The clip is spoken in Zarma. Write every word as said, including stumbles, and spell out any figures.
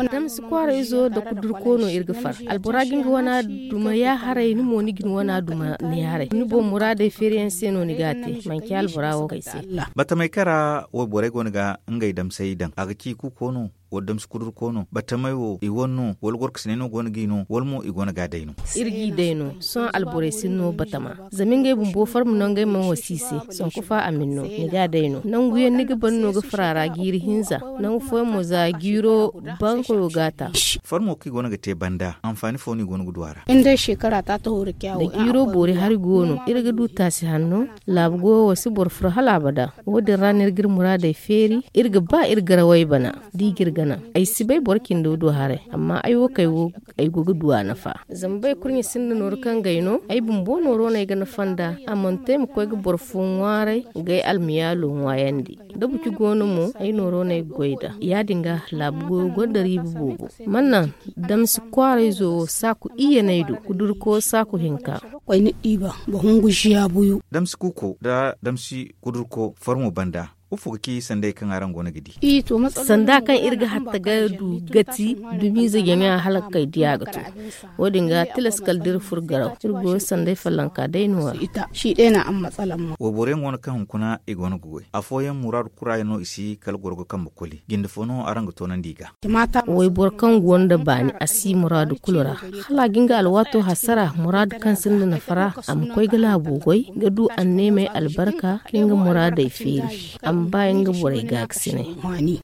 Damsi kwaarayzo nda kudurko no iri ga far. Albora ga nga wana duma ya haray, ni mo ni ga ni wana duma ni haray. Ni boŋ muraadey feeriyaŋ se no ni ga a te, manci albora wo kay se. Batamey kaŋ ra wayborey go no ga ngey damsey daŋ, a ga ci kuuko no, wala damsi kudurko no? Batamey wo i wane no, wala gorkasiney no go no g'i no, wala mo i go no ga a day no? Iri g'i day no. Sohõ alborey si ni no batama, zama ngey bumbo farma no ngey mana wasi i se. Sanku fa a ma ni no, ni ga a day no. Nangu yaŋ ni ga ban no ga far a ra jiiri hinza. Nangu fooyaŋ mo za jiiro bankoyo ga a ta. Farmo kaŋ i go no ga te banda, anfaani fo no i go no ga du a ra? Da jiiro boori hari go no, iri ga du taasi hanno. Laabu goyo wo si boro furo hala abada. Wo-din ra no iri ga iri muraadey feeri. Iri ga ba iri garawey bana, da i ga iri gana. Ay si bay boro cindo do haray, amma ay wo kay wo, ay go ga du a nafa. Zama bay kurɲe sinda nooru kaŋ g'ay no, ay bumbo nooro no ay ga nafa nd'a. A mana te ay ma koy ga boro fo ŋwaaray, g'ay almiyaalo ŋwaayandi. Da buci go no mo, ay nooro no ay ga goy nd'a. Ya-din ga, laabu goyo gonda riiba boobo. Man naŋ damsi kwaarayzo wo saaku iyye no ay du, kudurko saaku hinka. Koy ni diiba, ba hungu ziya buyu. Damsi kuuko nda damsi kudurko farmo banda, ifo ga ci sanday kaŋ araŋ go no ga di? Sanda kaŋ iri ga hatta ga du gati, dumiize jaŋa hala kay diya ga to. Wo-din ga tilas kala da iri furo garaw, iri go sanday fallanka day no-ya. Wayboroyaŋ go no kaŋ hunkuna i go no ga goy. Afooyaŋ muraadu kurayaŋ no i si kala goro ga kambe koli. Jinde fo no araŋ ga toonandi i ga? Wayboro kaŋ go nda baani, a si muraadu kulu ra. Hala a ga nga alwaato hasara, muraadu kaŋ sinda nafa ra, a ma koy ga laabo goy, ga du anneemey albarka, ka nga muraadey feeri. A ma ba nga borey gaakasinay.